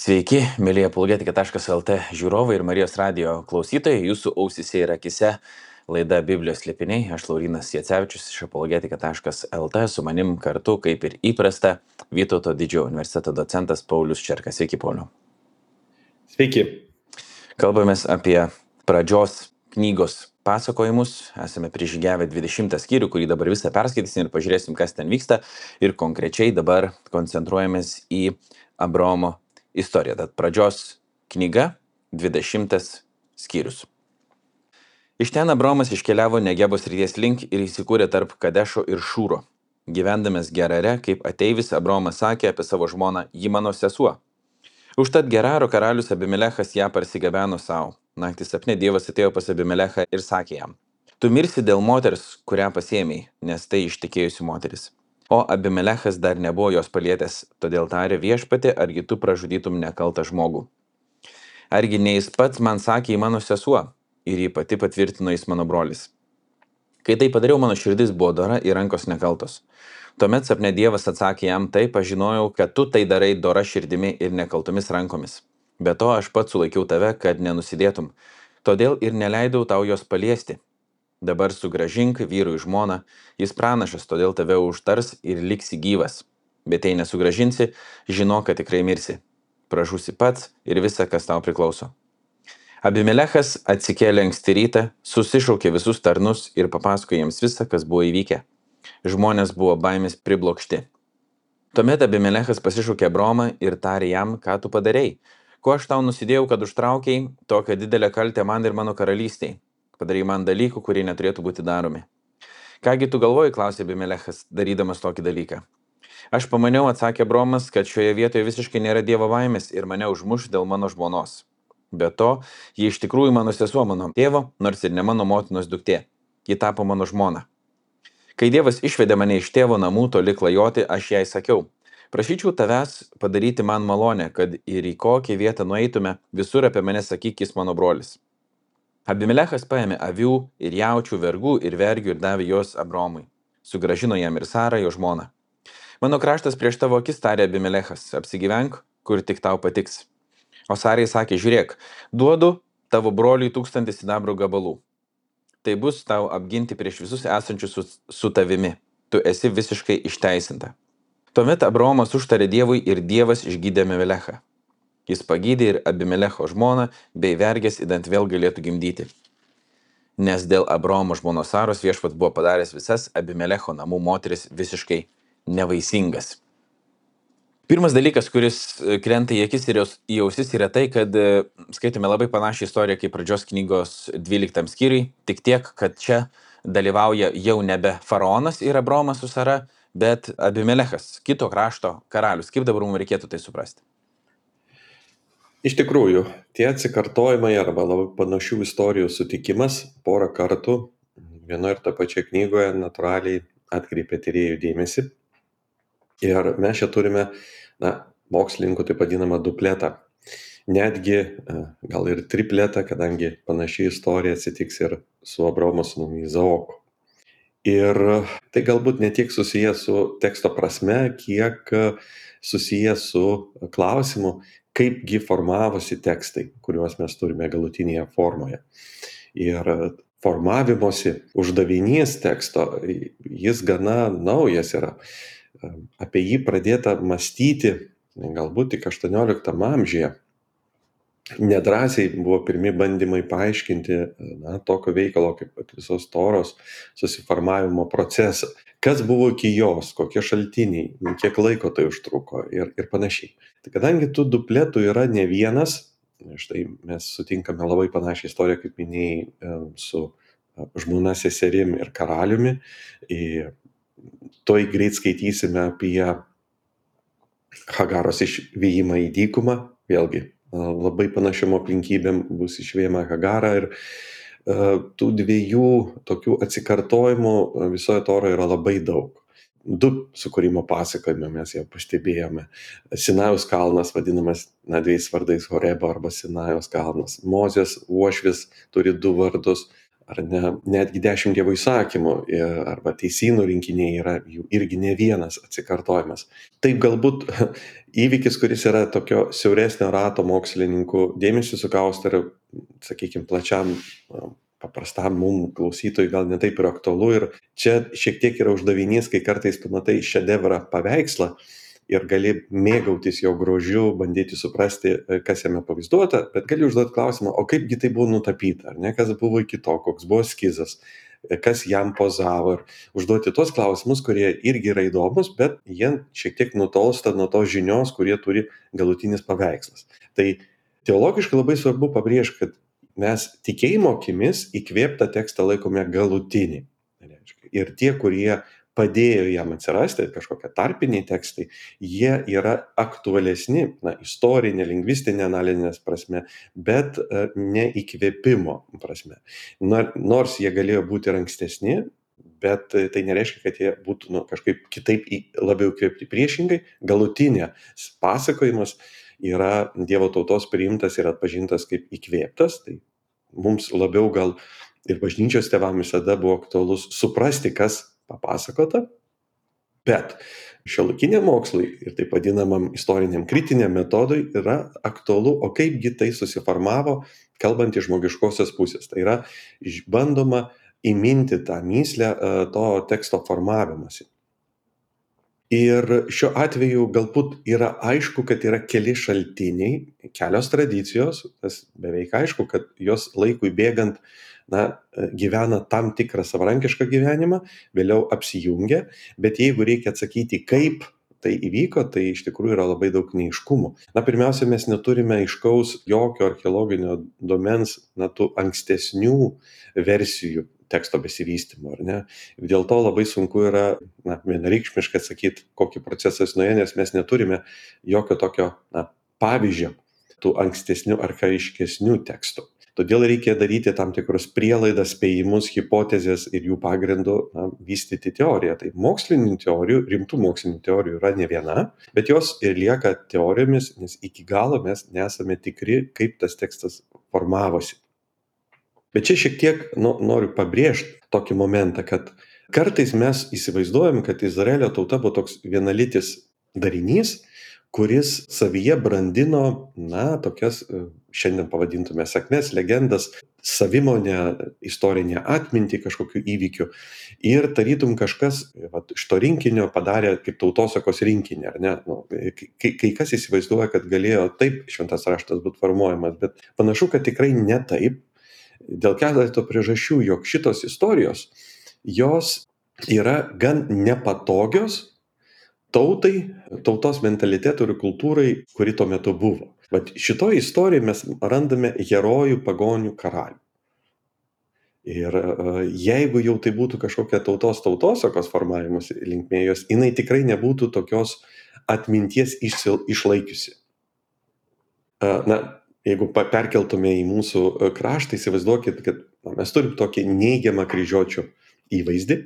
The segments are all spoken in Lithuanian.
Sveiki, mėlyje apologetika.lt žiūrovai ir Marijos radijo klausytojai, jūsų ausise ir akise laida Biblijos slėpiniai. Aš Laurynas Jacevičius iš apologetika.lt, su manim kartu, kaip ir įprasta, Vytauto didžiojo universiteto docentas Paulius Čerkas. Sveiki, Pauliau. Sveiki. Kalbamės apie pradžios knygos pasakojimus. Esame prižygiavę 20 skyrių, kurį dabar visą perskaitysim ir pažiūrėsim, kas ten vyksta. Ir konkrečiai dabar koncentruojamės į Abraomo istorija. Tad pradžios knyga, 20 skyrius. Iš ten Abraomas iškeliavo Negebo srities link ir įsikūrė tarp Kadešo ir Šūro. Gyvendamas Gerare, kaip ateivis, Abraomas sakė apie savo žmoną: ji mano sesuo. Užtat Geraro karalius Abimelechas ją parsigabeno savo. Naktį sapne Dievas atėjo pas Abimelechą ir sakė jam: tu mirsi dėl moters, kurią pasiėmei, nes tai ištekėjusi moteris. O Abimelechas dar nebuvo jos palietęs, todėl tarė: viešpatie, argi tu pražudytum nekaltą žmogų? Argi ne jis pats man sakė, į mano sesuo, ir ji pati patvirtino, jis mano brolis. Kai tai padariau, mano širdis buvo dora ir rankos nekaltos. Tuomet sapne Dievas atsakė jam: taip, aš žinojau, kad tu tai darai dora širdimi ir nekaltomis rankomis. Be to aš pats sulaikiau tave, kad nenusidėtum, todėl ir neleidau tau jos paliesti. Dabar sugrąžink vyrui žmoną, jis pranašas, todėl tave užtars ir liksi gyvas. Bet jei nesugrąžinsi, žinok, kad tikrai mirsi. Pražūsi pats ir visa, kas tau priklauso. Abimelechas atsikėlė anksti rytą, susišaukė visus tarnus ir papasakojo jiems visą, kas buvo įvykę. Žmonės buvo baimės priblokšti. Tuomet Abimelechas pasišaukė Abraomą ir tarė jam: ką tu padarei? Ko aš tau nusidėjau, kad užtraukiai tokią didelę kaltę man ir mano karalystiai? Padarai man dalykų, kurie neturėtų būti daromi. Kągi tu galvoji, klausė Abimelechas, darydamas tokį dalyką. Aš pamaniau, atsakė Abraomas, kad šioje vietoje visiškai nėra Dievo baimės ir mane užmuš dėl mano žmonos. Be to, ji iš tikrųjų mano sesuo, mano tėvo, nors ir ne mano motinos duktė. Ji tapo mano žmona. Kai Dievas išvedė mane iš tėvo namų toli klajoti, aš jai sakiau: prašyčiau tavęs padaryti man malonę, kad ir į kokią vietą nueitume, visur apie mane sakyk, jis mano brolis. Abimelechas paėmė avių ir jaučių, vergų ir vergių ir davė juos Abraomui. Sugrąžino jam ir Sarą, jo žmoną. Mano kraštas prieš tavo akis, tarė Abimelechas, apsigyvenk, kur tik tau patiks. O Sarai sakė: žiūrėk, duodu tavo broliui 1000 sidabro gabalų. Tai bus tau apginti prieš visus esančius su tavimi. Tu esi visiškai išteisinta. Tuomet Abraomas užtarė Dievui ir Dievas išgydė Abimelechą. Jis pagydė ir Abimelecho žmoną, bei vergės idant vėl galėtų gimdyti. Nes dėl Abraomo žmonos Saros viešpats buvo padaręs visas Abimelecho namų moteris visiškai nevaisingas. Pirmas dalykas, kuris krenta į akis ir į ausis, yra tai, kad skaitome labai panašią istoriją kaip pradžios knygos 12 skyriui, tik tiek, kad čia dalyvauja jau nebe faraonas ir Abraomas su Sara, bet Abimelechas, kito krašto karalius. Kaip dabar mums reikėtų tai suprasti? Iš tikrųjų, tie atsikartojimai arba labai panašių istorijų sutikimas porą kartų vienoje ir tą pačią knygoje natūraliai atkreipia tyrėjų dėmesį. Ir mes čia turime, mokslininkų taip vadinamą dupletą. Netgi gal ir tripletą, kadangi panaši istorija atsitiks ir su Abraomo sūnumi Izaoku. Ir tai galbūt ne tiek susiję su teksto prasme, kiek susiję su klausimu, kaipgi formavosi tekstai, kuriuos mes turime galutinėje formoje. Ir formavimosi uždavinys teksto, jis gana naujas yra. Apie jį pradėta mąstyti galbūt tik 18 amžiuje. Nedrąsiai buvo pirmi bandymai paaiškinti tokio veikalo kaip visos Toros susiformavimo procesą. Kas buvo iki jos, kokie šaltiniai, kiek laiko tai užtruko ir panašiai. Tai kadangi tų dupletų yra ne vienas, štai mes sutinkame labai panašią istoriją, kaip minėjai, su žmona, seserim ir karaliumi. Toj greit skaitysime apie Hagaros išvijimą į dykumą, vėlgi labai panašiom aplinkybėm bus išvijama Hagara ir tų dviejų tokių atsikartojimų visoje Toroje yra labai daug. 2 sukūrimo pasakojime mes jau pastebėjome. Sinajaus kalnas vadinamas 2 vardais Horebo arba Sinajaus kalnas. Mozės uošvis turi 2 vardus. ar ne, netgi 10 Dievo įsakymų arba teisynų rinkiniai yra jų irgi ne vienas atsikartojimas. Taip galbūt įvykis, kuris yra tokio siauresnio rato mokslininkų dėmesį sukausto ir, sakykime, plačiam, paprastam mums klausytojui gal netaip ir aktualu. Ir čia šiek tiek yra uždavinys, kai kartais tu matai šedevrą paveikslą ir gali mėgautis jo grožiu, bandyti suprasti, kas jame pavaizduota, bet gali užduoti klausimą, o kaipgi tai buvo nutapyta, ar ne, kas buvo iki to, koks buvo eskizas, kas jam pozavo, ir užduoti tuos klausimus, kurie irgi yra įdomus, bet jie šiek tiek nutolsta nuo tos žinios, kurie turi galutinis paveikslas. Tai teologiškai labai svarbu pabrėžti, kad mes tikėjimo akimis įkvėptą tekstą laikome galutinį. Ir tie, kurie padėjo jam atsirasti, kažkokie tarpiniai tekstai, jie yra aktualesni, istorinė, lingvistinė, analitinės prasme, bet ne įkvėpimo prasme. Nors jie galėjo būti ir ankstesni, bet tai nereiškia, kad jie būtų kažkaip kitaip labiau įkvėpti. Priešingai, galutinės pasakojimas yra Dievo tautos priimtas ir atpažintas kaip įkvėptas. Tai mums labiau gal ir bažnyčios tėvam visada buvo aktualus suprasti, kas papasakota, bet šiuolaikiniam mokslui ir taip vadinamam istoriniam kritiniam metodui yra aktualu, o kaipgi tai susiformavo, kalbant iš žmogiškosios pusės. Tai yra bandoma įminti tą mįslę to teksto formavimąsi. Ir šiuo atveju galbūt yra aišku, kad yra keli šaltiniai, kelios tradicijos, tas beveik aišku, kad jos laikui bėgant gyvena tam tikrą savarankišką gyvenimą, vėliau apsijungia, bet jeigu reikia atsakyti, kaip tai įvyko, tai iš tikrųjų yra labai daug neaiškumų. Pirmiausia, mes neturime aiškaus jokio archeologinio duomens, tų ankstesnių versijų teksto besivystymo, ar ne? Dėl to labai sunku yra vienareikšmiškai atsakyti, kokį procesą jis nuėjo, nes mes neturime jokio tokio pavyzdžio tų ankstesnių, archaiškesnių tekstų. Todėl reikia daryti tam tikrus prielaidas, spėjimus, hipotezės ir jų pagrindų vystyti teoriją. Tai mokslinių teorijų, rimtų mokslinių teorijų yra ne viena, bet jos ir lieka teorijomis, nes iki galo mes nesame tikri, kaip tas tekstas formavosi. Bet čia šiek tiek noriu pabrėžti tokį momentą, kad kartais mes įsivaizduojam, kad Izraelio tauta buvo toks vienalytis darinys, kuris savyje brandino, tokias, šiandien pavadintume sakmes, legendas, savimonę, istorinę atmintį kažkokių įvykių. Ir tarytum kažkas iš to rinkinio padarė kaip tautosakos rinkinį, ar ne? Kai kas įsivaizduoja, kad galėjo taip šventas raštas būti formuojamas, bet panašu, kad tikrai ne taip. Dėl keleto priežasčių, jog šitos istorijos, jos yra gan nepatogios tautai, tautos mentalitetui ir kultūrai, kuri tuo metu buvo. Bet šitoje istorijoje mes randame herojų, pagonių, karalių. Ir jeigu jau tai būtų kažkokia tautosakos formavimas linkmė jos, jinai tikrai nebūtų tokios atminties išlaikiusi. Jeigu perkeltume į mūsų kraštą, įsivaizduokit, kad mes turim tokį neigiamą kryžiuočių įvaizdį,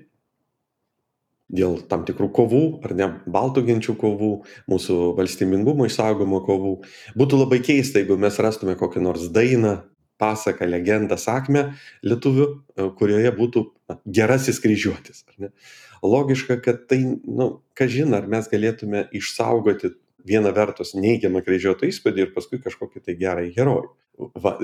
dėl tam tikrų kovų, ar ne, baltų genčių kovų, mūsų valstybingumo išsaugomo kovų. Būtų labai keista, jeigu mes rastume kokią nors dainą, pasaką, legendą, sakmę lietuvių, kurioje būtų gerasis kryžiuotis. Ar ne? Logiška, kad tai, kažin, ar mes galėtume išsaugoti vieną vertus neigiamą kryžiuoto įspūdį ir paskui kažkokį tai gerą herojų.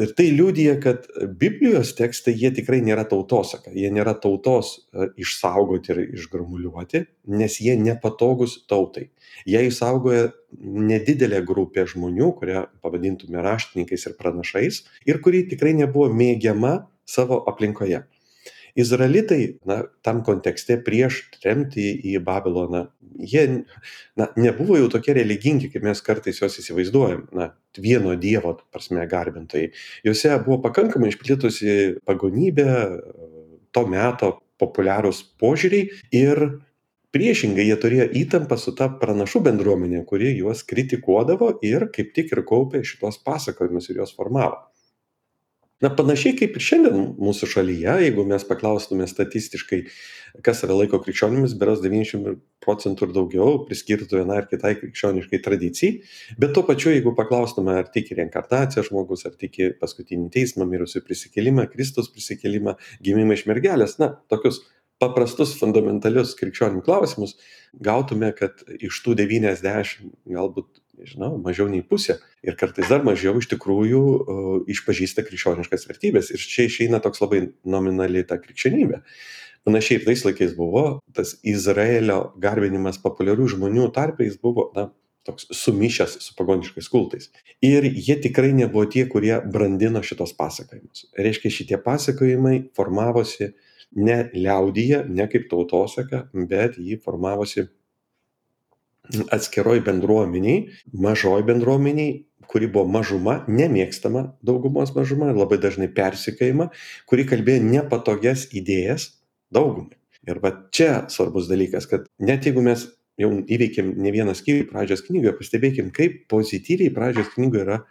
Ir tai liudija, kad Biblijos tekstai, jie tikrai nėra tautosaka, jie nėra tautos išsaugoti ir išgramuliuoti, nes jie nepatogus tautai. Jie išsaugoja nedidelę grupę žmonių, kurie pavadintume raštininkais ir pranašais, ir kuri tikrai nebuvo mėgiama savo aplinkoje. Izraelitai, tam kontekste prieš tremtį į Babiloną, jie nebuvo jau tokie religingi, kaip mes kartais juos įsivaizduojam, vieno dievo prasme garbintojai. Juose buvo pakankamai išplitusi pagonybė, to meto populiarūs požiūriai ir priešingai jie turėjo įtampą su ta pranašų bendruomenė, kuri juos kritikuodavo ir kaip tik ir kaupė šitos pasakojimus ir juos formavo. Panašiai kaip ir šiandien mūsų šalyje, jeigu mes paklaustume statistiškai, kas yra laiko krikščionimis, berods 90% ir daugiau priskirtų vienai ar kitai krikščioniškai tradicijai, bet tuo pačiu, jeigu paklaustume, ar tiki reinkarnaciją žmogus, ar tiki paskutinį teismą, mirusių prisikėlimą, Kristaus prisikėlimą, gimimą iš mergelės, tokius paprastus, fundamentalius krikščionių klausimus, gautume, kad iš tų 90, galbūt, mažiau nei pusė ir kartais dar mažiau iš tikrųjų išpažįsta krikščioniškas vertybės. Ir čia išeina toks labai nominali ta krikščionybė. Panašiai ir tais laikais buvo, tas Izraelio garbinimas populiarių žmonių tarpe, jis buvo, toks sumišęs su pagoniškais kultais. Ir jie tikrai nebuvo tie, kurie brandino šitos pasakojimus. Reiškia, šitie pasakojimai formavosi ne liaudyje, ne kaip tautosaka, bet jį formavosi atskiroj bendruomeniai, mažoj bendruomeniai, kuri buvo mažuma, nemėgstama daugumos mažuma, labai dažnai persekiojama, kuri kalbėjo nepatogias idėjas daugumai. Ir va čia svarbus dalykas, kad net jeigu mes jau įveikėm ne vieną skyrių pradžios knygoje, pastebėkim, kaip pozityviai pradžios knygoje yra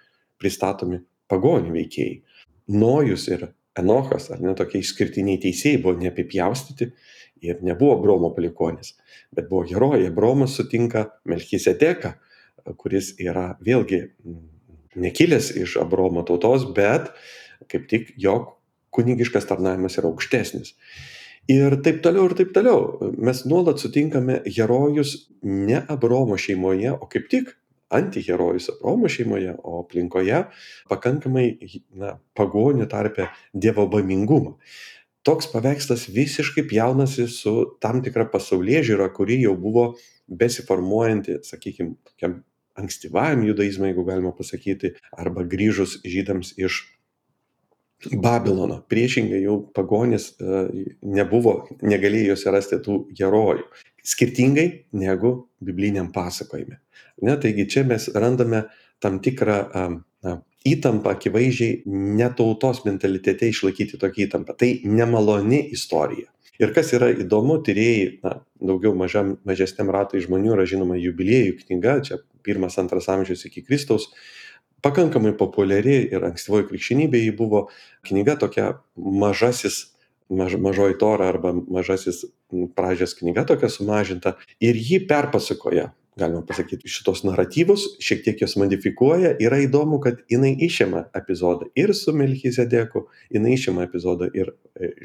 pristatomi pagonių veikėjai. Nojus ir Enochas, ar ne, tokie išskirtiniai teisėjai, buvo neapipjaustyti ir nebuvo Abromo palikuonis, bet buvo herojai. Abromas sutinka Melchisedeką, kuris yra vėlgi nekilęs iš Abromo tautos, bet kaip tik jo kunigiškas tarnavimas yra aukštesnis. Ir taip toliau, ir taip toliau. Mes nuolat sutinkame herojus ne Abromo šeimoje, o kaip tik antiherojus Abromo šeimoje, o aplinkoje pakankamai pagonių tarpe dievobaimingumo. Toks paveikslas visiškai pjaunasi su tam tikra pasaulėžiūra, kuri jau buvo besiformuojanti, sakykime, tokiam ankstyvajam judaizmui, jeigu galima pasakyti, arba grįžus žydams iš Babilono. Priešingai jau pagonis negalėjo juose rasti tų herojų. Skirtingai negu bibliniam pasakojime. Taigi čia mes randame tam tikrą įtampą, akivaizdžiai netautos mentalitete išlaikyti tokią įtampą. Tai nemaloni istorija. Ir kas yra įdomu, tyrėjai, daugiau mažesniam ratui žmonių yra žinoma Jubiliejų knyga, čia 1-2 amžius iki Kristaus, pakankamai populiari ir ankstyvoji krikščionybė ji buvo knyga tokia mažoji Tora arba mažasis pradžios knyga tokia sumažinta ir ji perpasakoja, galima pasakyti, šitos naratyvus, šiek tiek jos modifikuoja. Yra įdomu, kad jinai išima epizodą ir su Melchisedeku, jinai išima epizodą ir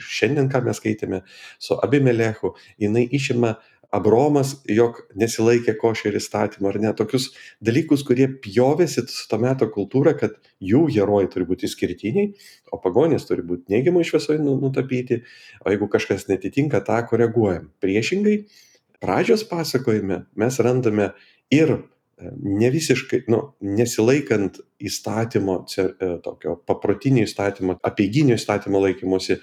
šiandien, ką mes skaitėme, su Abimelechu, jinai išima Abromas, jog nesilaikė košer įstatymą ar ne, tokius dalykus, kurie pjovėsi su to meto kultūra, kad jų herojai turi būti išskirtiniai, o pagonys turi būti neigiamai šviesoje nutapyti, o jeigu kažkas netitinka, tą koreguojam. Priešingai, pradžios pasakojime mes randame ir ne visiškai, nesilaikant įstatymo, tokio paprotinio įstatymo, apeiginio įstatymo laikymosi.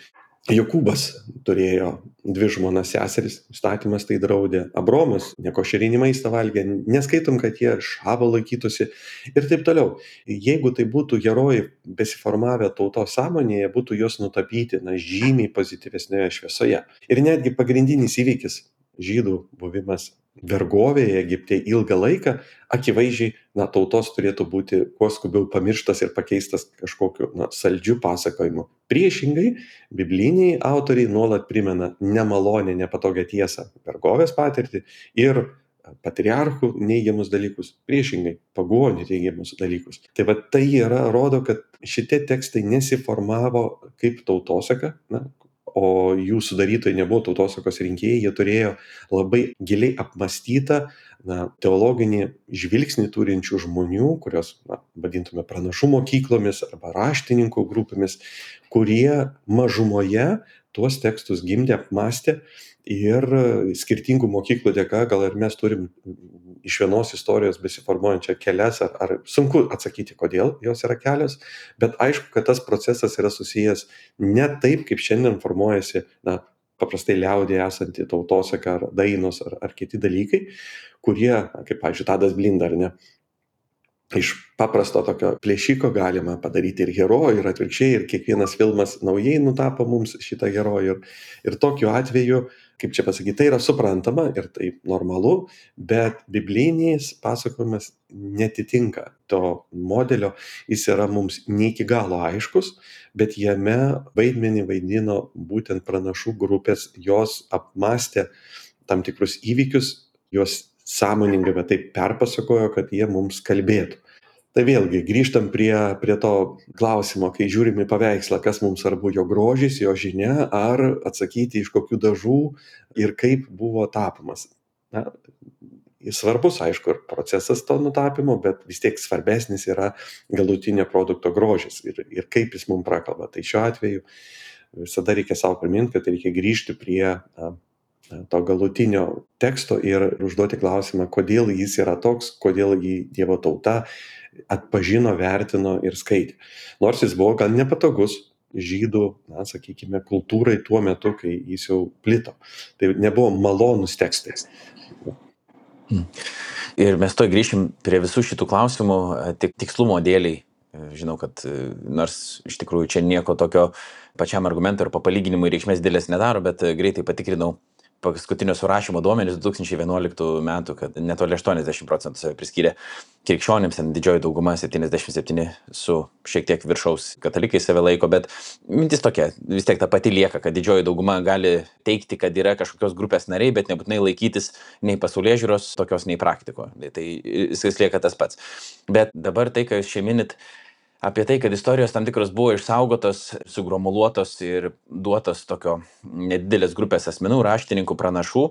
Jokūbas turėjo 2 žmonas seseris, įstatymas tai draudė. Abromas nekošerinį maistą valgė, neskaitom, kad jie šabo laikytųsi ir taip toliau. Jeigu tai būtų herojai besiformavę tautos sąmonėje, būtų jos nutapyti žymiai pozityvesnėje šviesoje. Ir netgi pagrindinis įvykis žydų buvimas vergovėje Egipte ilgą laiką, akivaizdžiai tautos turėtų būti kuo skubiau pamirštas ir pakeistas kažkokiu saldžiu pasakojimu. Priešingai, bibliniai autoriai nuolat primena nemalonę, nepatogią tiesą, vergovės patirtį ir patriarchų neigiamus dalykus, priešingai, pagonių teigiamus dalykus. Tai va tai rodo, kad šitie tekstai nesiformavo kaip tautosaka, o jų sudarytojai nebuvo tautosakos rinkėjai, jie turėjo labai giliai apmąstytą teologinį žvilgsnį turinčių žmonių, kurios vadintume pranašų mokyklomis arba raštininkų grupėmis, kurie mažumoje tuos tekstus gimdė, apmąstė ir skirtingų mokyklų dėka gal ir mes turim iš vienos istorijos besiformuojančią kelias, ar sunku atsakyti, kodėl jos yra kelios, bet aišku, kad tas procesas yra susijęs ne taip, kaip šiandien formuojasi, paprastai liaudėje esanti tautosaka ar dainos ar kiti dalykai, kurie, kaip, pavyzdžiui, Tadas Blinda, ar ne, iš paprasto tokio plėšiko galima padaryti ir herojų, ir atvirkščiai, ir kiekvienas filmas naujai nutapo mums šitą herojų. Ir tokiu atveju kaip čia pasakyti, tai yra suprantama ir tai normalu, bet biblinis pasakojimas netitinka to modelio, jis yra mums ne iki galo aiškus, bet jame vaidmenį vaidino būtent pranašų grupės, jos apmastė tam tikrus įvykius, juos sąmoningai, bet taip perpasakojo, kad jie mums kalbėtų. Tai vėlgi grįžtam prie to klausimo, kai žiūrim į paveikslą, kas mums svarbu, jo grožis, jo žinia, ar atsakyti iš kokių dažų ir kaip buvo tapomas. Na, jis svarbus, aišku, ir procesas to nutapymo, bet vis tiek svarbesnis yra galutinio produkto grožis ir kaip jis mums prakalba. Tai šiuo atveju visada reikia savo priminti, kad reikia grįžti prie to galutinio teksto ir užduoti klausimą, kodėl jis yra toks, kodėl jį Dievo tauta atpažino, vertino ir skaitė. Nors jis buvo gan nepatogus žydų, na, sakykime, kultūrai tuo metu, kai jis jau plito. Tai nebuvo malonus tekstai. Ir mes to grįšim prie visų šitų klausimų tik tikslumo dėliai. Žinau, kad nors iš tikrųjų čia nieko tokio pačiam argumentui ir palyginimui reikšmės dėlės nedaro, bet greitai patikrinau paskutinio surašymo duomenys 2011 metų, kad netoli 80% save priskyrė krikščionims, didžioji dauguma 77 su šiek tiek viršaus katalikai save laiko, bet mintis tokia, vis tiek ta pati lieka, kad didžioji dauguma gali teikti, kad yra kažkokios grupės nariai, bet nebūtinai laikytis nei pasaulėžiūros tokios, nei praktiko. Tai viskas lieka tas pats. Bet dabar tai, ką jūs čia minit, apie tai, kad istorijos tam tikros buvo išsaugotos, sugromuluotos ir duotos tokio nedidelės grupės asmenų, raštininkų, pranašų.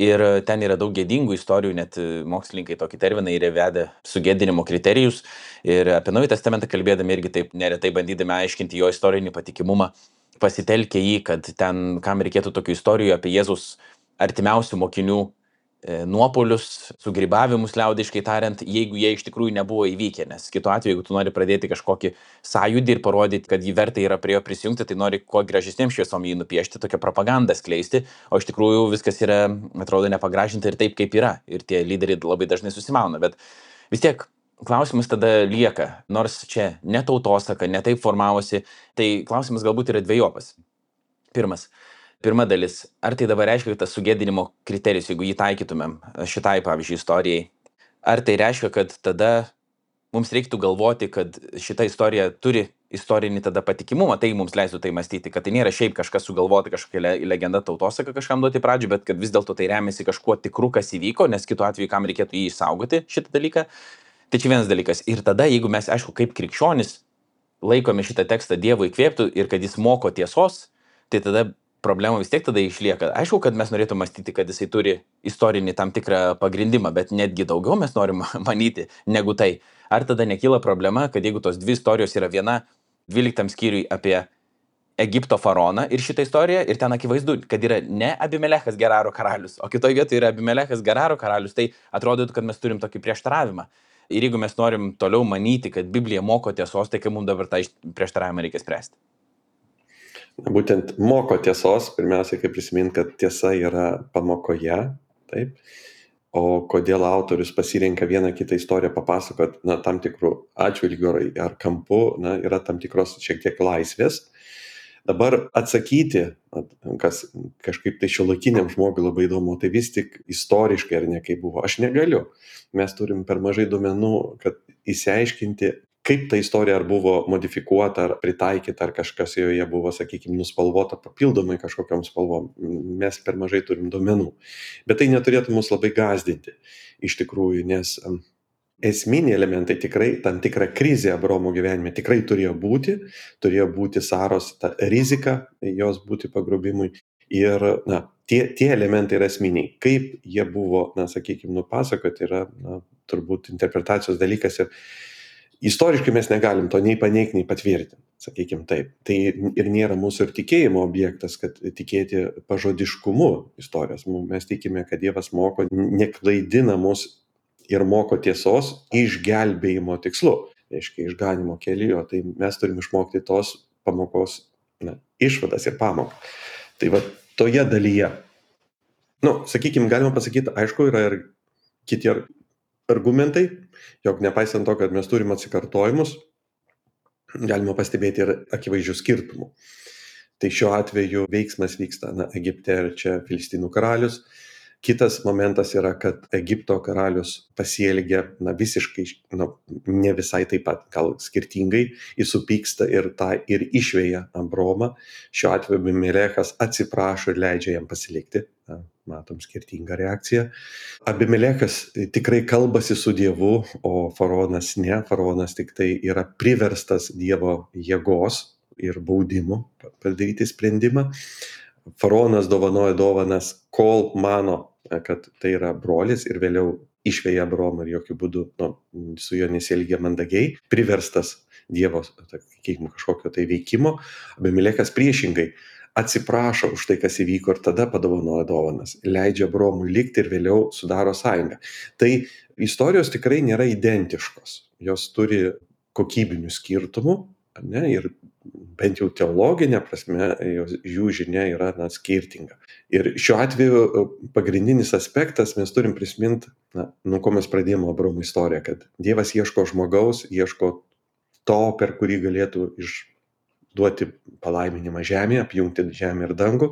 Ir ten yra daug gėdingų istorijų, net mokslininkai tokį terminą yra įvedę sugėdinimo kriterijus. Ir apie Naująjį testamentą kalbėdami irgi taip neretai bandydami aiškinti jo istorinį patikimumą, pasitelkę jį, kad ten, kam reikėtų tokių istorijų apie Jėzus artimiausių mokinių nuopolius, sugrybavimus liaudiškai tariant, jeigu jie iš tikrųjų nebuvo įvykę, nes kitu atveju, jeigu tu nori pradėti kažkokį sąjūdį ir parodyti, kad jį verta yra prie jo prisijungti, tai nori kuo gražesnėm šviesom jį nupiešti, tokią propagandą skleisti, o iš tikrųjų viskas yra, atrodo, nepagražinta ir taip, kaip yra, ir tie lyderiai labai dažnai susimauna, bet vis tiek klausimas tada lieka, nors čia ne tautosaka, ne taip formavosi, tai klausimas galbūt yra dvejopas. Pirma dalis, ar tai dabar reiškia, kad tas sugėdinimo kriterijus, jeigu jį taikytumėm šitai, pavyzdžiui, istorijai, ar tai reiškia, kad tada mums reiktų galvoti, kad šita istorija turi istorinį tada patikimumą, tai mums leistų tai mąstyti, kad tai nėra šiaip kažkas sugalvoti, kažkokia legenda tautosaka kažkam duoti pradžių, bet kad vis dėlto tai remiasi kažkuo tikru, kas įvyko, nes kitu atveju kam reikėtų jį išsaugoti šitą dalyką. Tai čia vienas dalykas. Ir tada, jeigu mes, aišku, kaip krikščionis laikome šitą tekstą Dievo įkvėptų ir kad jis moko tiesos, tai tada problema vis tiek tada išlieka. Aišku, kad mes norėtume mąstyti, kad jisai turi istorinį tam tikrą pagrindimą, bet netgi daugiau mes norim manyti negu tai. Ar tada nekyla problema, kad jeigu tos dvi istorijos yra viena 12 skyriui apie Egipto faraoną ir šitą istoriją, ir ten akivaizdu, kad yra ne Abimelechas Geraro karalius, o kitoje vietoje yra Abimelechas Geraro karalius, tai atrodytų, kad mes turim tokį prieštaravimą. Ir jeigu mes norim toliau manyti, kad Biblija moko tiesos, tai kaip mums dabar tą prieštaravimą reikia spręsti? Būtent moko tiesos, pirmiausiai, kaip prisiminti, kad tiesa yra pamokoje, taip, o kodėl autorius pasirenka vieną kitą istoriją papasakot, na, tam tikrų atžvilgių ar kampų, na, yra tam tikros šiek tiek laisvės. Dabar atsakyti, kas kažkaip tai šiuolaikiniam žmogui labai įdomu, tai vis tik istoriškai ar ne kaip buvo, aš negaliu. Mes turim per mažai duomenų, kad įsiaiškinti, kaip ta istorija ar buvo modifikuota, ar pritaikyta, ar kažkas joje buvo, sakykime, nuspalvota papildomai kažkokiom spalvom. Mes per mažai turim duomenų. Bet tai neturėtų mus labai gąsdinti iš tikrųjų, nes esminiai elementai tikrai, tam tikra krizė Abraomo gyvenime tikrai turėjo būti Saros ta rizika, jos būti pagrobimui. Ir na, tie elementai yra esminiai. Kaip jie buvo, na, sakykime, nupasakoti, yra na, turbūt interpretacijos dalykas ir istoriškai mes negalim to nei paneigti, nei patvirtinti, sakykime taip. Tai ir nėra mūsų ir tikėjimo objektas, kad tikėti pažodiškumu istorijos. Mes tikime, kad Dievas moko, neklaidina mus ir moko tiesos išgelbėjimo tikslu, reiškia išganimo keliu. Tai mes turim išmokti tos pamokos išvadas ir pamoką. Tai va toje dalyje, sakykime, galima pasakyti, aišku, yra ir kiti argumentai, jog nepaisant to, kad mes turim atsikartojimus, galima pastebėti ir akivaizdžių skirtumų. Tai šiuo atveju veiksmas vyksta Egipte ir čia Filistinų karalius. Kitas momentas yra, kad Egipto karalius pasielgia visiškai, ne visai taip pat, gal skirtingai, jis supyksta ir išveja Abromą. Šiuo atveju Abimelechas atsiprašo ir leidžia jam pasilikti. Matom skirtingą reakciją. Abimelechas tikrai kalbasi su Dievu, o faraonas ne. Faraonas tik tai yra priverstas Dievo jėgos ir baudimų padaryti sprendimą. Faraonas dovanoja dovanas, kol mano, kad tai yra brolis, ir vėliau išveja Abromą ir jokių būdų su juo nesielgia mandagiai, priverstas Dievo kažkokio tai veikimo. Abimelechas priešingai atsiprašo už tai, kas įvyko, ir tada padovanoja dovanas, leidžia Abromui likti ir vėliau sudaro sąjungą. Tai istorijos tikrai nėra identiškos, jos turi kokybinių skirtumų, ne, ir bent jau teologinė prasme jų žinia yra skirtinga. Ir šiuo atveju pagrindinis aspektas, mes turim prisiminti, nuo ko mes pradėjome Abromo istoriją, kad Dievas ieško žmogaus, ieško to, per kurį galėtų duoti palaiminimą žemėje, apjungti žemę ir dangų.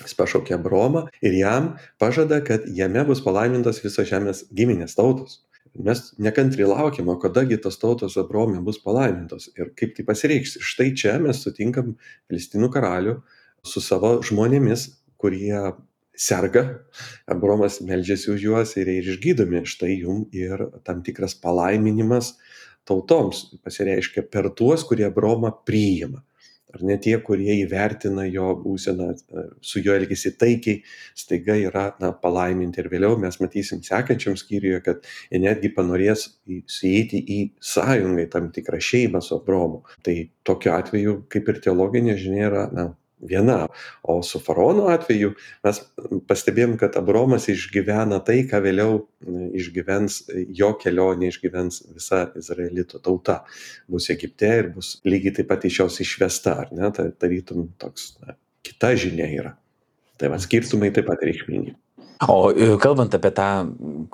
Jis pašaukė Abromą ir jam pažada, kad jame bus palaimintos visos žemės giminės tautos. Mes nekantriai laukiam, o kadagi tos tautos Abrome bus palaimintos ir kaip tai pasireikš. Štai čia mes sutinkam Filistinų karalių su savo žmonėmis, kurie serga. Abromas meldžiasi už juos ir išgydomi. Štai jum ir tam tikras palaiminimas tautoms pasireiškia per tuos, kurie Abromą priima. Ar ne tie, kurie įvertina jo būseną, su juo elgesi taikiai, staiga yra palaiminti. Ir vėliau mes matysim sekančiam skyriuje, kad jie netgi panorės įeiti į sąjungą, tam tikrą šeimą su Abromu. Tai tokiu atveju, kaip ir teologinė žinia, yra viena. O su faraono atveju mes pastebėjom, kad Abromas išgyvena tai, ką vėliau išgyvens jo kelionė, išgyvens visa Izraelito tauta. Bus Egipte ir bus lygiai taip pat iš jos išvesta, ar ne? Tai tarytum toks kita žinia yra. Tai skirtumai taip pat reikšmingi. O kalbant apie tą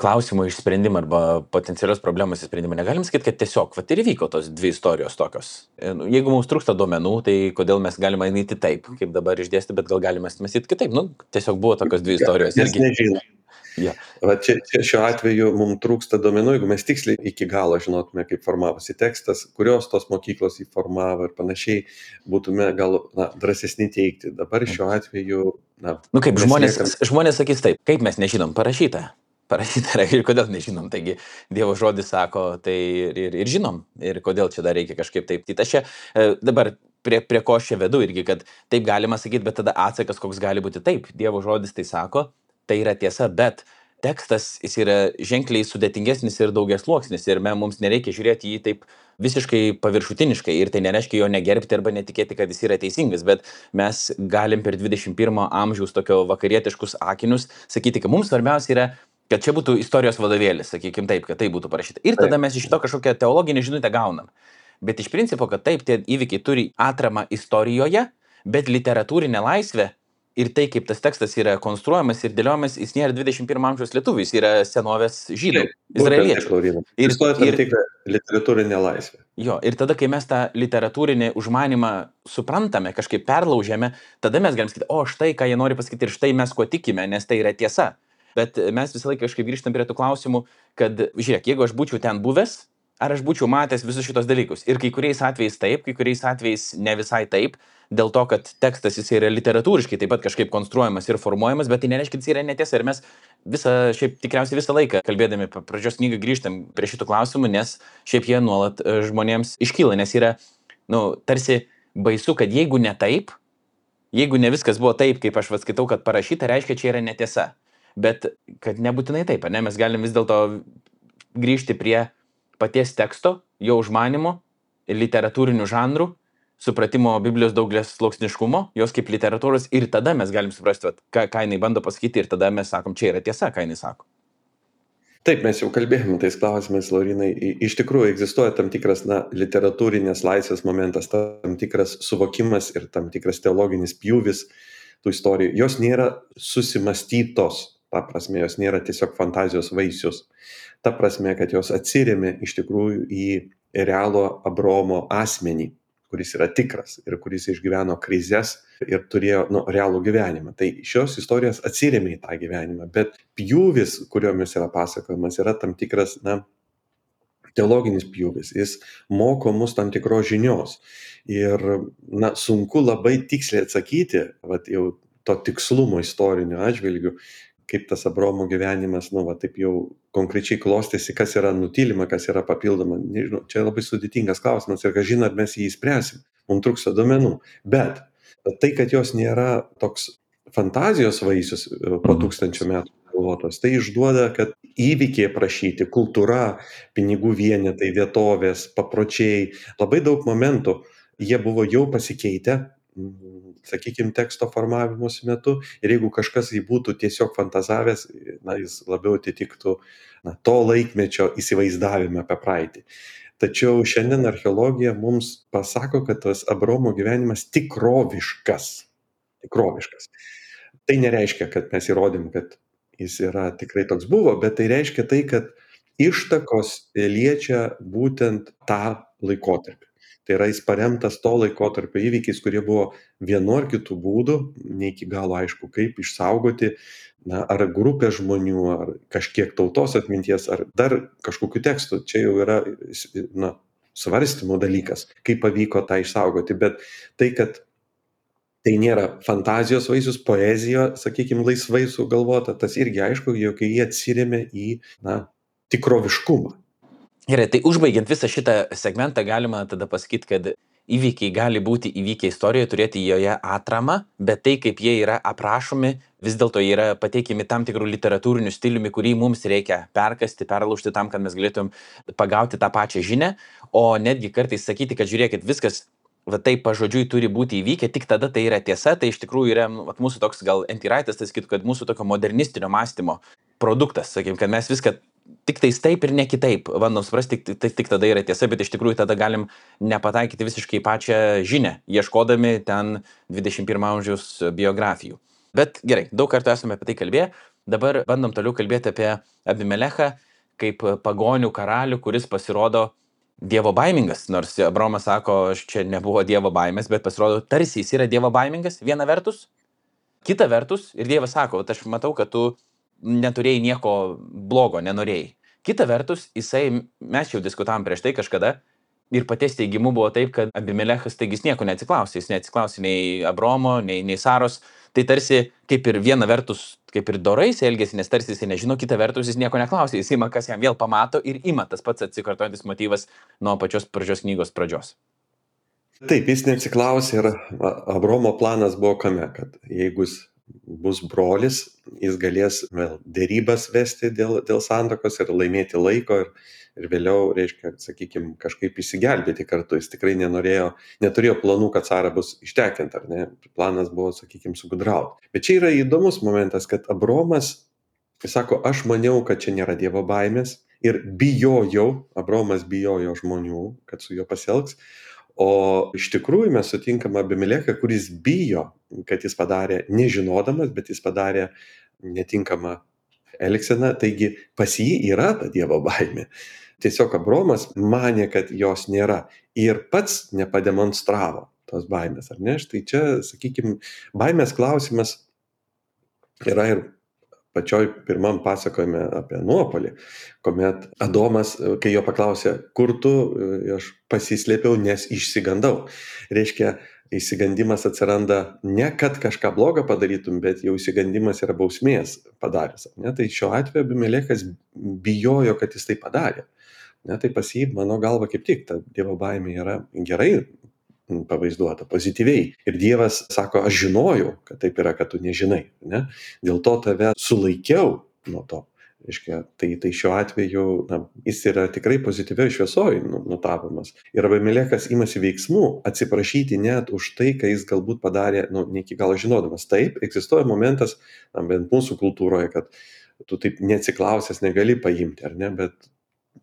klausimo išsprendimą arba potencialios problemos išsprendimą, negalim sakyti, kad tiesiog ir įvyko tos dvi istorijos tokios. Jeigu mums trūksta duomenų, tai kodėl mes galime eiti taip, kaip dabar išdėsti, bet gal galime mąstyti kitaip. Tiesiog buvo tokios dvi istorijos. Mes nežinom. Ja. Čia šiuo atveju mums trūksta duomenų, jeigu mes tiksliai iki galo žinotume, kaip formavosi tekstas, kurios tos mokyklos jį formavo ir panašiai, būtume gal drąsesni teikti. Dabar šiuo atveju... kaip žmonės sakys taip, kaip mes nežinom, parašyta yra ir kodėl nežinom. Taigi Dievo žodis sako, tai ir žinom, ir kodėl čia dar reikia kažkaip taip. Tai aš čia dabar prie ko aš čia vedu irgi, kad taip galima sakyti, bet tada atsakas koks gali būti taip. Dievo žodis tai sako, tai yra tiesa, bet tekstas jis yra ženkliai sudėtingesnis ir daugiasluoksnis ir mums nereikia žiūrėti jį taip visiškai paviršutiniškai ir tai nereiškia jo negerbti arba netikėti, kad jis yra teisingas, bet mes galim per 21 amžiaus tokio vakarietiškus akinius sakyti, kad mums svarbiausia yra, kad čia būtų istorijos vadovėlis, sakykim taip, kad tai būtų parašyta. Ir tada mes iš to kažkokią teologinę žinutę gaunam. Bet iš principo, kad taip, tie įvykiai turi atramą istorijoje, bet literatūrinė laisvė ir tai, kaip tas tekstas yra konstruojamas ir dėliojamas, jis nėra 21 amžiaus lietuvių, jis yra senovės žydų, izraeliečių. Ir literatūrinė laisvė. Jo, ir tada, kai mes tą literatūrinį užmanimą suprantame, kažkaip perlaužiame, tada mes galim sakyti, o štai, ką jie nori pasakyti ir štai mes ko tikime, nes tai yra tiesa. Bet mes visą laiką kažkaip grįžtam prie tų klausimų, kad, žiūrėk, jeigu aš būčiau ten buvęs, ar aš būčiau matęs visus šitos dalykus. Ir kai kuriais atvejais taip, kai kuriais atvejais ne visai taip, dėl to, kad tekstas jis yra literatūriškai taip pat kažkaip konstruojamas ir formuojamas, bet tai nereiškia, kad jis yra netiesa. Ir mes tikriausiai visą laiką, kalbėdami pradžios knygą, grįžtam prie šitų klausimų, nes šiaip jie nuolat žmonėms iškyla, nes yra, tarsi baisu, kad jeigu ne taip, jeigu ne viskas buvo taip, kaip aš skaitau, kad parašyta, reiškia, čia yra netiesa. Bet kad nebūtinai taip, ne, mes galim vis dėlto grįžti prie paties teksto, jo užmanimo, literatūrinių žanrų, supratimo Biblijos daugelės sluoksniškumo, jos kaip literatūros ir tada mes galim suprasti, ką jinai bando pasakyti ir tada mes sakom, čia yra tiesa, ką jinai sako. Taip, mes jau kalbėjome tais klausimais, Laurinai. Iš tikrųjų egzistuoja tam tikras literatūrinės laisvės momentas, tam tikras suvokimas ir tam tikras teologinis pjūvis tų istorijų. Jos nėra susimastytos, ta prasme, jos nėra tiesiog fantazijos vaisius. Ta prasme, kad jos atsirėmė iš tikrųjų į realų Abromo asmenį. kuris yra tikras ir kuris išgyveno krizes ir turėjo realų gyvenimą. Tai šios istorijos atsiremia į tą gyvenimą, bet pjūvis, kuriomis yra pasakojimas, yra tam tikras, teologinis pjūvis, jis moko mus tam tikros žinios. Ir, sunku labai tiksliai atsakyti, jau to tikslumo istorinio atžvilgiu, kaip tas Abraomo gyvenimas, taip jau konkrečiai klostėsi, kas yra nutylima, kas yra papildoma. Nežinau, čia labai sudėtingas klausimas ir kažin ar mes jį įspręsim. Mums trūksta duomenų. Bet tai, kad jos nėra toks fantazijos vaisius po 1000 metų galvotos, tai išduoda, kad įvykiai aprašyti, kultūra, pinigų vienetai, vietovės, papročiai, labai daug momentų, jie buvo jau pasikeitę, sakykime, teksto formavimosi metu, ir jeigu kažkas jį būtų tiesiog fantazavęs, jis labiau atitiktų to laikmečio įsivaizdavimą apie praeitį. Tačiau šiandien archeologija mums pasako, kad tas Abraomo gyvenimas tikroviškas. Tai nereiškia, kad mes įrodėm, kad jis yra tikrai toks buvo, bet tai reiškia tai, kad ištakos liečia būtent tą laikotarpį. Tai yra jis paremtas to laikotarpio įvykiais, kurie buvo vienu ar kitu būdu, ne iki galo aišku, kaip išsaugoti, ar grupė žmonių, ar kažkiek tautos atminties, ar dar kažkokiu tekstu. Čia jau yra svarstymo dalykas, kaip pavyko tą išsaugoti, bet tai, kad tai nėra fantazijos vaisius, poezija, sakykime, laisvai sugalvota, tas irgi aišku, jog jie atsiremia į tikroviškumą. Gerai, tai užbaigiant visą šitą segmentą galima tada pasakyti, kad įvykiai gali būti įvykę istorijoje, turėti joje atramą, bet tai, kaip jie yra aprašomi, vis dėlto yra pateikimi tam tikrų literatūrinių stiliumi, kurį mums reikia perkasti, perlaužti tam, kad mes galėtum pagauti tą pačią žinią, o netgi kartais sakyti, kad žiūrėkit, viskas taip pažodžiui turi būti įvykę, tik tada tai yra tiesa, tai iš tikrųjų yra mūsų toks gal antiraitas, tai sakytų, kad mūsų tokio modernistinio mąstymo produktas, sakykime, kad mes viską tik tais taip ir ne kitaip bandom suprasti, tik tada yra tiesa, bet iš tikrųjų tada galim nepataikyti visiškai pačią žinią, ieškodami ten 21 amžiaus biografijų. Bet gerai, daug kartų esame apie tai kalbėję, dabar bandom toliau kalbėti apie Abimelechą kaip pagonių karalių, kuris pasirodo dievo baimingas, nors Abraomas sako, čia nebuvo dievo baimės, bet pasirodo tarsi jis yra dievo baimingas, viena vertus, kita vertus, ir dievas sako, aš matau, kad tu neturėjai nieko blogo, nenorėjai. Kita vertus, mes jau diskutavom prieš tai kažkada, ir paties teigimu buvo taip, kad Abimelechas taigi nieko neatsiklausė, jis neatsiklausė nei Abraomo, nei Saros, tai tarsi kaip ir viena vertus, kaip ir dorais elgėsi, nes tarsi jis nežino, kita vertus jis nieko neklausė, jis ima, kas jam vėl pamato ir ima tas pats atsikartojantis motyvas nuo pačios pradžios knygos pradžios. Taip, jis neatsiklausė ir Abraomo planas buvo kame, kad jeigu jis bus brolis, jis galės vėl dėrybas vesti dėl santuokos ir laimėti laiko ir vėliau, reiškia, sakykime, kažkaip įsigelbėti kartu. Jis tikrai neturėjo planų, kad Sara bus ištekinta, ar ne? Planas buvo, sakykime, sugudrauti. Bet čia yra įdomus momentas, kad Abraomas, jis sako, aš maniau, kad čia nėra dievo baimės ir Abraomas bijojo žmonių, kad su juo pasielgs. O iš tikrųjų mes sutinkam Abimelechą, kuris bijo, kad jis padarė nežinodamas, bet jis padarė netinkamą elgseną, taigi pas jį yra ta dievo baimė. Tiesiog Abraomas manė, kad jos nėra ir pats nepademonstravo tos baimės, ar ne? Štai čia, sakykime, baimės klausimas yra ir pačioj pirmam pasakojime apie nuopolį, kuomet Adomas, kai jo paklausė, kur tu, aš pasislėpiau, nes išsigandau. Reiškia, išsigandimas atsiranda ne kad kažką blogą padarytum, bet jau išsigandimas yra bausmės padaręs. Ne? Tai šiuo atveju Abimelechas bijojo, kad jis tai padarė. Ne? Tai pas jį, mano galva, kaip tik, ta dievo baimė yra gerai pavaizduota, pozityviai. Ir Dievas sako, aš žinojau, kad taip yra, kad tu nežinai. Ne? Dėl to tave sulaikiau nuo to. Reiškia, tai šiuo atveju jis yra tikrai pozityviai šviesoj nutapomas. Ir Abimelechas imasi veiksmų atsiprašyti net už tai, ką jis galbūt padarė, ne iki galo žinodamas. Taip, egzistuoja momentas, bent mūsų kultūroje, kad tu taip neatsiklausęs negali paimti, ar ne, bet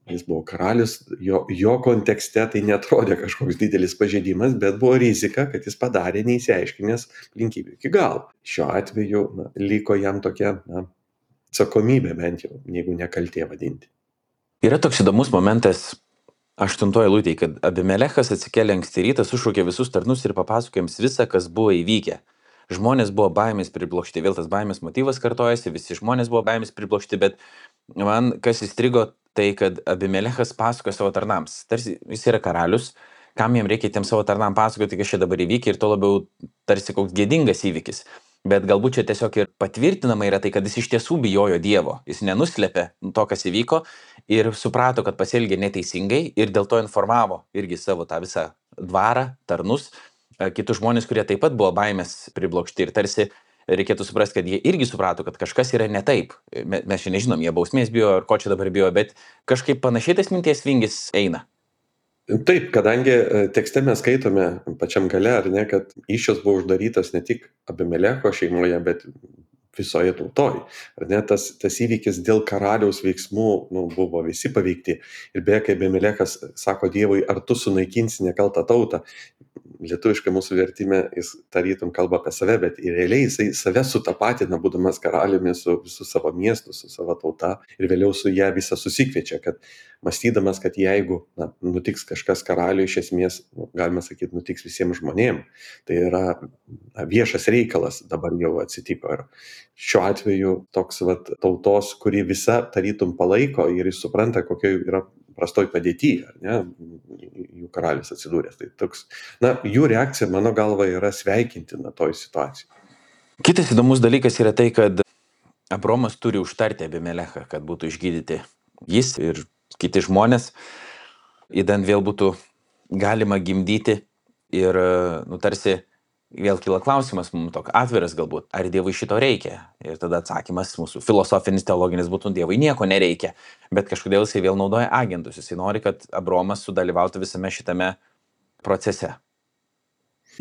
jis buvo karalius, jo kontekste tai netrodė kažkoks didelis pažeidimas, bet buvo rizika, kad jis padarė neįsiaiškinęs aplinkybių iki galo. Šiuo atveju liko jam tokia atsakomybė bent jau, jeigu ne kaltė vadinti. Yra toks įdomus momentas 8 eilutėje, kad Abimelechas atsikėlė anksti rytą, sušaukė visus tarnus ir papasakojo jiems visą, kas buvo įvykę. Žmonės buvo baimės priblokšti, vėl tas baimės motyvas kartojasi, visi žmonės buvo baimės priblokšti, bet man kas įstrigo, tai kad Abimelechas pasakoja savo tarnams. Tarsi jis yra karalius, kam jam reikia tiem savo tarnam pasakoti, kas čia dabar įvykę, ir to labiau tarsi koks gėdingas įvykis. Bet galbūt čia tiesiog ir patvirtinama yra tai, kad jis iš tiesų bijojo Dievo, jis nenuslėpė to, kas įvyko, ir suprato, kad pasielgė neteisingai, ir dėl to informavo irgi savo tą visą dvarą, tarnus, kitus žmonės, kurie taip pat buvo baimės priblokšti, ir tarsi reikėtų suprasti, kad jie irgi suprato, kad kažkas yra ne taip. Mes čia nežinom, jie bausmės bijo, ar ko čia dabar bijo, bet kažkaip panašiai tas minties vingis eina. Taip, kadangi tekste mes skaitome pačiam gale, ar ne, kad įsčios buvo uždarytas ne tik Abimelecho šeimoje, bet visoje tautoje. Ar ne, tas įvykis dėl karaliaus veiksmų buvo visi paveikti. Ir beje, kai Abimelechas sako Dievui, ar tu sunaikinsi nekaltą tautą, lietuviškai mūsų vertime jis tarytum kalba apie save, bet realiai jisai save sutapatina, būdamas karaliumi, su visu savo miestu, su savo tauta, ir vėliau su ją visą susikviečia, kad mąstydamas, kad jeigu nutiks kažkas karaliui, iš esmės, galima sakyti, nutiks visiems žmonėms. Tai yra viešas reikalas dabar jau atsitiko. Ir šiuo atveju toks tautos, kuri visa tarytum palaiko ir jis supranta, kokia yra prastoj padėtyje, ar ne, jų karalius atsidūręs. Tai toks, jų reakcija, mano galva, yra sveikintina toj situacijai. Kitas įdomus dalykas yra tai, kad Abromas turi užtarti Abimelechą, kad būtų išgydyti jis ir kiti žmonės, įdant vėl būtų galima gimdyti, ir tarsi vėl kyla klausimas, mums toks atviras galbūt, ar Dievui šito reikia? Ir tada atsakymas mūsų filosofinis, teologinis būtų, Dievui nieko nereikia, bet kažkodėl jisai vėl naudoja agentus, jisai nori, kad Abromas sudalyvautų visame šitame procese.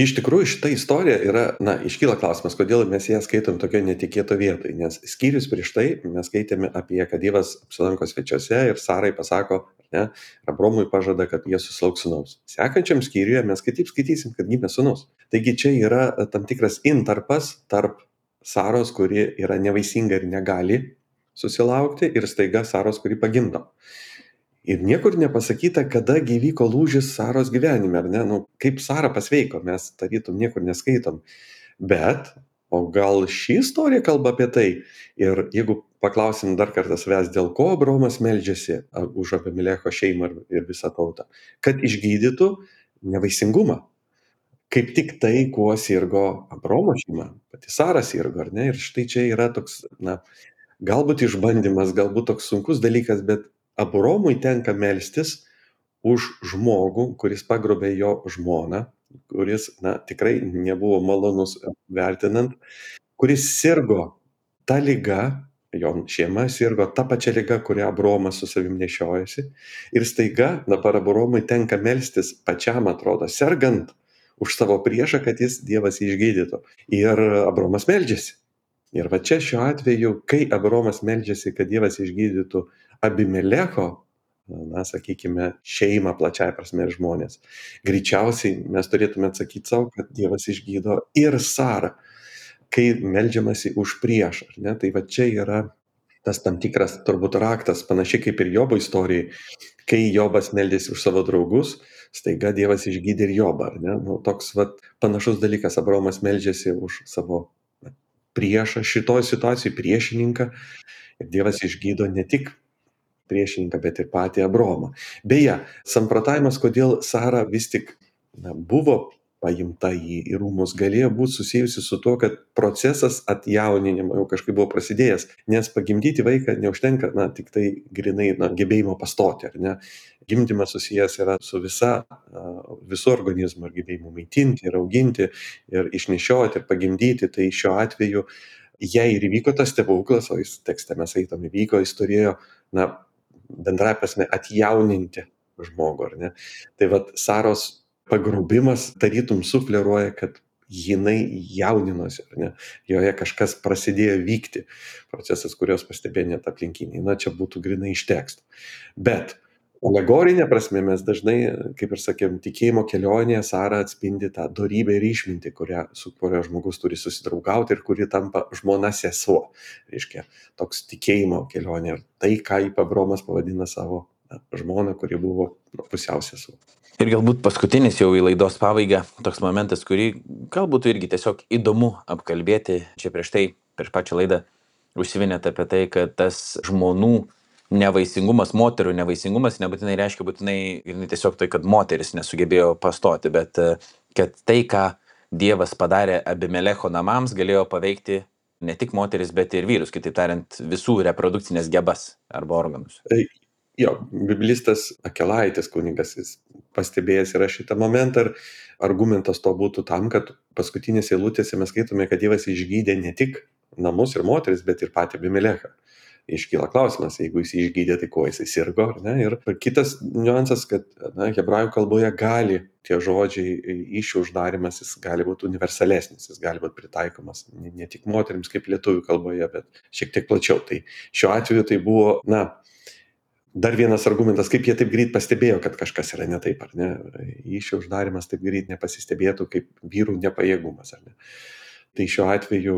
Iš tikrųjų, šita istorija yra, iškyla klausimas, kodėl mes ją skaitom tokioje netikėto vietoje, nes skyrius prieš tai mes skaitėme apie, kad Dievas apsilanko svečiuose ir Sarai pasako, ne, Abromui pažada, kad jie susilauks sūnaus. Sekančiam skyriuje mes kitaip skaitysim, kad gimė sūnus. Taigi čia yra tam tikras intarpas tarp Saros, kuri yra nevaisinga ir negali susilaukti, ir staiga Saros, kuri pagimdo. Ir niekur nepasakyta, kada įvyko lūžis Saros gyvenime, ar ne? Kaip Sara pasveiko, mes tarytum niekur neskaitom. Bet, o gal ši istorija kalba apie tai? Ir jeigu paklausim dar kartą savęs, dėl ko Abromas meldžiasi už Abimelecho šeimą ir visą tautą, kad išgydytų nevaisingumą. Kaip tik tai, kuo sirgo Abromo šeima, pati Sara sirgo, ar ne? Ir štai čia yra toks, galbūt išbandymas, galbūt toks sunkus dalykas, bet Abromui tenka melstis už žmogų, kuris pagrobė jo žmoną, kuris tikrai nebuvo malonus vertinant, kuris sirgo tą ligą, jo šeima sirgo tą pačią ligą, kurią Abromas su savim nešiojasi. Ir staiga dabar Abromui tenka melstis pačiam, atrodo, sergant už savo priešą, kad jis Dievas išgydytų. Ir Abromas meldžiasi. Ir va čia šiuo atveju, kai Abromas meldžiasi, kad Dievas išgydytų Abimelecho, sakykime, šeimą plačiai prasme ir žmonės, greičiausiai mes turėtume atsakyti savo, kad Dievas išgydo ir Sarą, kai meldžiamasi už priešą. Ne? Tai va čia yra tas tam tikras turbūt raktas, panašiai kaip ir Jobo istorijai, kai Jobas meldėsi už savo draugus, staiga Dievas išgydė ir Jobą. Ne? Toks panašus dalykas, Abromas meldžiasi už savo priešą, šitoj situacijai priešininką, ir Dievas išgydo ne tik priešininką, bet ir patį Abromą. Beje, samprotavimas, kodėl Sara vis tik buvo paimta į rūmus, galėjo būti susijusi su tuo, kad procesas atjauninimo jau kažkaip buvo prasidėjęs, nes pagimdyti vaiką neužtenka, tik tai grinai gebėjimo pastoti, ar ne? Gimdymas susijęs yra su visu organizmu, ir gebėjimu maitinti, ir auginti, ir išnešioti, ir pagimdyti. Tai šiuo atveju, jei ir įvyko tas stebuklas, o jis tekste mes eitom įvyko, jis turėjo, bendrąja prasme, atjauninti žmogų, ar ne? Tai Saros pagrobimas tarytum sufleruoja, kad jinai jauninosi, ar ne? Joje kažkas pradėjo vykti, procesas, kurios pastebėjo net aplinkiniai. Čia būtų grinai iš teksto. Bet alegorinė prasme mes dažnai, kaip ir sakėm, tikėjimo kelionėje Sara atspindi tą dorybę ir išmintį, su kuria žmogus turi susidraugauti ir kuri tampa žmona sesuo. Reiškia, toks tikėjimo kelionė. Ir tai, ką Abromas pavadina savo žmoną, kuri buvo pusiau sesuo. Ir galbūt paskutinis jau į laidos pabaigą toks momentas, kurį galbūt irgi tiesiog įdomu apkalbėti. Čia prieš pačią laidą užsiminėte apie tai, kad tas žmonų nevaisingumas, moterų nevaisingumas nebūtinai reiškia tiesiog tai, kad moteris nesugebėjo pastoti, bet kad tai, ką Dievas padarė Abimelecho namams, galėjo paveikti ne tik moteris, bet ir vyrus, kitaip tariant, visų reprodukcinės gebas arba organus. Jo, biblistas Akelaitis kunigas, jis pastebėjęs yra šitą momentą ir argumentas to būtų tam, kad paskutinėse eilutėse mes skaitome, kad Dievas išgydė ne tik namus ir moteris, bet ir patį Abimelechą. Iškyla klausimas, jeigu jis išgydė, tai ko jisai sirgo, ar ne? Ir kitas niuansas, kad hebrajų kalboje gali tie žodžiai įsčių uždarimas, jis gali būti universalesnis, jis gali būti pritaikomas ne tik moterims kaip lietuvių kalboje, bet šiek tiek plačiau. Tai šiuo atveju tai buvo, dar vienas argumentas, kaip jie taip greit pastebėjo, kad kažkas yra ne taip, ar ne? Įsčių uždarimas taip greit nepasistebėtų kaip vyrų nepajėgumas, ar ne? Tai šiuo atveju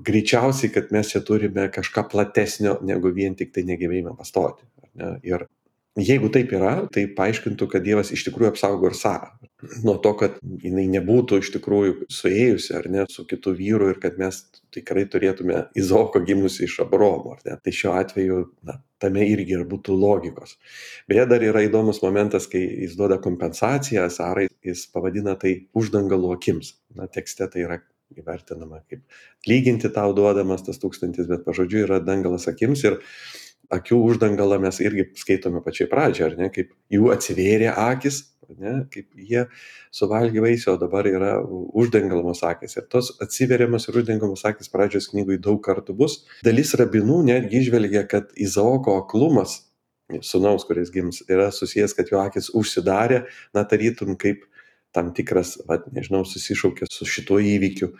greičiausiai, kad mes čia turime kažką platesnio negu vien tik tai negebėjimą pastoti. Ne? Ir jeigu taip yra, tai paaiškintų, kad Dievas iš tikrųjų apsaugo ir Sarą. Nuo to, kad jinai nebūtų iš tikrųjų suėjusi ar ne su kitu vyru ir kad mes tikrai turėtume Izaoko gimusi iš Abraomo. Tai šiuo atveju tame irgi ir būtų logikos. Beje, dar yra įdomus momentas, kai jis duoda kompensaciją Sarai, jis pavadina tai uždangalų akims. Tekste tai yra įvertinama kaip lyginti tau duodamas tas 1000, bet pažodžiui yra dangalas akims ir akių uždangalą mes irgi skaitome pačiai pradžiai, ar ne, kaip jų atsivėrė akis, ar ne, kaip jie suvalgė vaisių, o dabar yra uždangalamos akis. Ir tos atsiveriamos ir uždangalamos akis pradžios knygui daug kartų bus. Dalis rabinų netgi išvelgia, kad Izaoko aklumas, sūnaus, kuris gims, yra susijęs, kad jo akis užsidarė, tarytum kaip tam tikras, susišaukė su šituo įvykiu,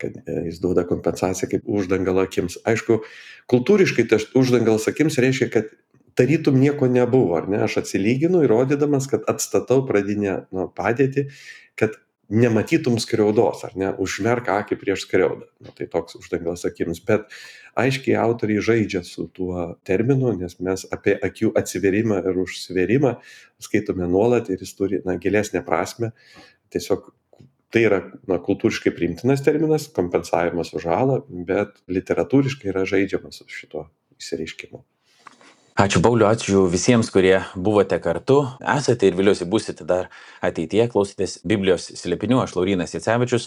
kad jis duoda kompensaciją kaip uždangalo akims. Aišku, kultūriškai tas uždangalas akims reiškia, kad tarytum nieko nebuvo, ar ne? Aš atsilyginu įrodydamas, kad atstatau pradinę padėtį, kad nematytum skriaudos, ar ne? Užmerk akį prieš skriaudą. Tai toks uždangalas akims. Bet aiškiai autoriai žaidžia su tuo terminu, nes mes apie akių atsiverimą ir užsiverimą skaitome nuolat ir jis turi gilesnę prasme. Tiesiog tai yra kultūriškai priimtinas terminas, kompensavimas už žalą, bet literatūriškai yra žaidžiamas su šito išsireiškimu. Ačiū Pauliu, ačiū visiems, kurie buvote kartu, esate ir viliuosi būsite dar ateityje, klausėtės Biblijos slėpinių, aš Laurynas Jacevičius.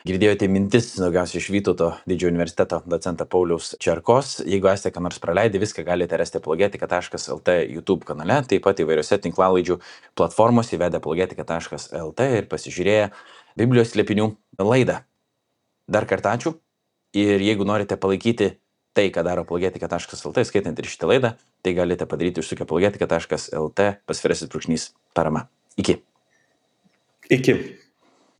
Girdėjote mintis daugiausiai iš Vytauto didžiojo universiteto docento Pauliaus Čerkos. Jeigu esate ką nors praleidę, viską galite rasti apologetika.lt YouTube kanale, taip pat įvairiose tinklalaidžių platformose įvedę apologetika.lt ir pasižiūrėję Biblijos slėpinių laidą. Dar kartą ačiū ir jeigu norite palaikyti tai, ką daro apologetika.lt, skaitant ir šitą laidą, tai galite padaryti užsukę apologetika.lt /parama. Iki. Iki.